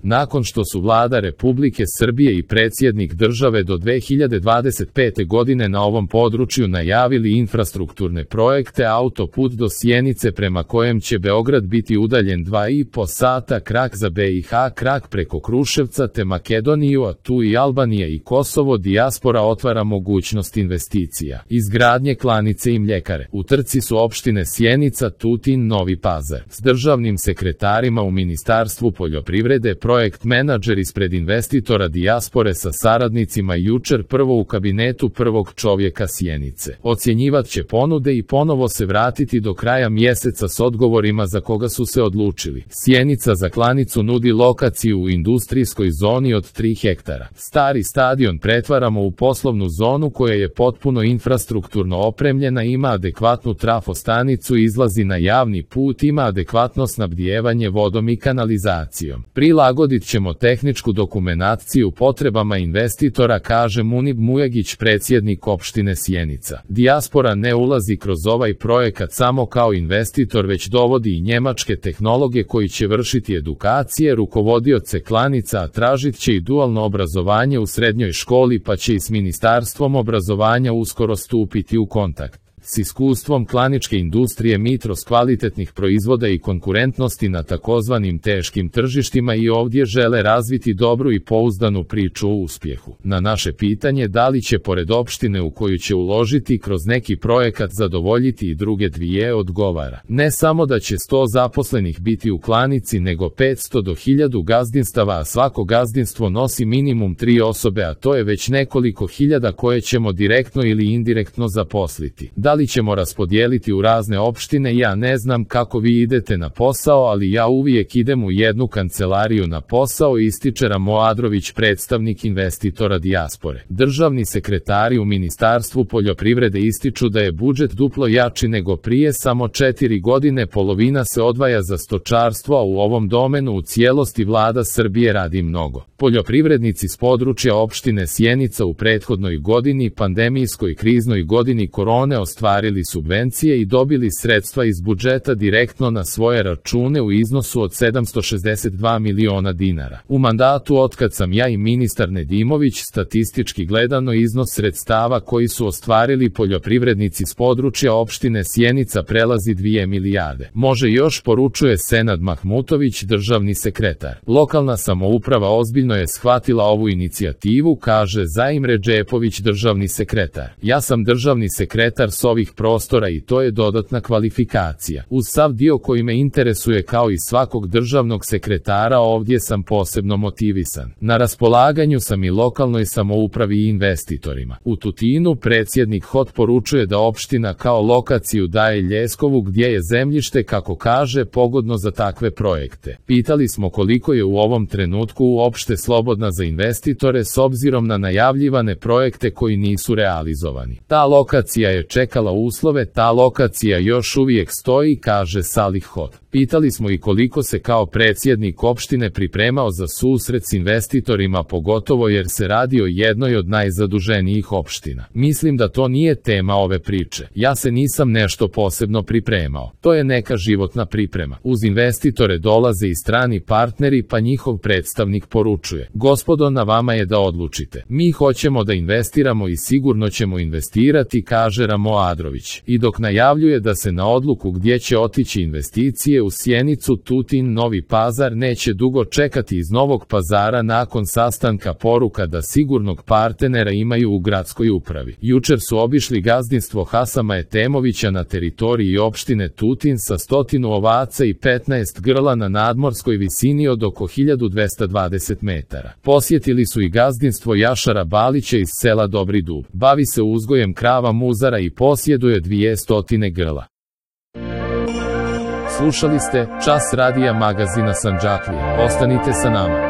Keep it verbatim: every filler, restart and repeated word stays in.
Nakon što su Vlada Republike Srbije i predsjednik države do dve hiljade dvadeset pete godine na ovom području najavili infrastrukturne projekte, autoput do Sjenice prema kojem će Beograd biti udaljen dva i po sata, krak za B i H, krak preko Kruševca te Makedoniju, a tu i Albanija i Kosovo, dijaspora otvara mogućnost investicija, izgradnje klanice i mljekare. U trci su opštine Sjenica, Tutin, Novi Pazar. S državnim sekretarima u Ministarstvu poljoprivrede, projekt menadžer ispred investitora dijaspore sa saradnicima jučer prvo u kabinetu prvog čovjeka Sjenice. Ocjenjivat će ponude i ponovo se vratiti do kraja mjeseca s odgovorima za koga su se odlučili. Sjenica za klanicu nudi lokaciju u industrijskoj zoni od tri hektara. Stari stadion pretvaramo u poslovnu zonu koja je potpuno infrastrukturno opremljena, ima adekvatnu trafostanicu, izlazi na javni put, ima adekvatno snabdijevanje vodom i kanalizacijom. Prilagodit ćemo tehničku dokumentaciju potrebama investitora, kaže Munib Mujagić, predsjednik opštine Sjenica. Dijaspora ne ulazi kroz ovaj projekat samo kao investitor, već dovodi i njemačke tehnologe koji će vršiti edukacije, rukovodioce klanica, a tražit će i dualno obrazovanje u srednjoj školi, pa će i s Ministarstvom obrazovanja uskoro stupiti u kontakt. S iskustvom klaničke industrije Mitros, kvalitetnih proizvoda i konkurentnosti na takozvanim teškim tržištima, i ovdje žele razviti dobru i pouzdanu priču o uspjehu. Na naše pitanje da li će pored opštine u koju će uložiti kroz neki projekat zadovoljiti i druge dvije, odgovara: ne samo da će sto zaposlenih biti u klanici, nego petsto do hiljadu gazdinstava, a svako gazdinstvo nosi minimum tri osobe, a to je već nekoliko hiljada koje ćemo direktno ili indirektno zaposliti. Da li ćemo raspodijeliti u razne opštine, ja ne znam kako vi idete na posao, ali ja uvijek idem u jednu kancelariju na posao, ističe Ramo Adrović, predstavnik investitora dijaspore. Državni sekretari u Ministarstvu poljoprivrede ističu da je budžet duplo jači nego prije samo četiri godine, polovina se odvaja za stočarstvo, a u ovom domenu u cijelosti Vlada Srbije radi mnogo. Poljoprivrednici s područja opštine Sjenica u prethodnoj godini, pandemijskoj kriznoj godini korone, ostvarili subvencije i dobili sredstva iz budžeta direktno na svoje račune u iznosu od sedamsto šezdeset dva miliona dinara. U mandatu otkad sam ja i ministar Nedimović, statistički gledano, iznos sredstava koji su ostvarili poljoprivrednici s područja opštine Sjenica prelazi dvije milijarde. Može još, poručuje Senad Mahmutović, državni sekretar. Lokalna samouprava ozbiljno je shvatila ovu inicijativu, kaže Zaim Redžepović, državni sekretar. Ja sam državni sekretar s ovih prostora i to je dodatna kvalifikacija. Uz sav dio koji me interesuje kao i svakog državnog sekretara, ovdje sam posebno motivisan. Na raspolaganju sam i lokalnoj samoupravi i investitorima. U Tutinu predsjednik H O T poručuje da opština kao lokaciju daje Ljeskovu, gdje je zemljište, kako kaže, pogodno za takve projekte. Pitali smo koliko je u ovom trenutku uopšte slobodna za investitore s obzirom na najavljivane projekte koji nisu realizovani. Ta lokacija je čekala uslove, ta lokacija još uvijek stoji, kaže Salih H O T. Pitali smo i koliko se kao predsjednik opštine pripremao za susret s investitorima, pogotovo jer se radi o jednoj od najzaduženijih opština. Mislim da to nije tema ove priče. Ja se nisam nešto posebno pripremao. To je neka životna priprema. Uz investitore dolaze i strani partneri, pa njihov predstavnik poručuje: gospodo, na vama je da odlučite. Mi hoćemo da investiramo i sigurno ćemo investirati, kaže Ramo Adrović. I dok najavljuje da se na odluku gdje će otići investicije u Sjenicu, Tutin, Novi Pazar neće dugo čekati, iz Novog Pazara nakon sastanka poruka da sigurnog partnera imaju u gradskoj upravi. Jučer su obišli gazdinstvo Hasama Etemovića na teritoriji opštine Tutin sa stotinu ovaca i petnaest grla na nadmorskoj visini od oko hiljadu dvesta dvadeset metara. Posjetili su i gazdinstvo Jašara Balića iz sela Dobri Dub. Bavi se uzgojem krava muzara i posjeduje dvije stotine grla. Slušali ste Čas radija magazina Sandžaklije. Ostanite sa nama.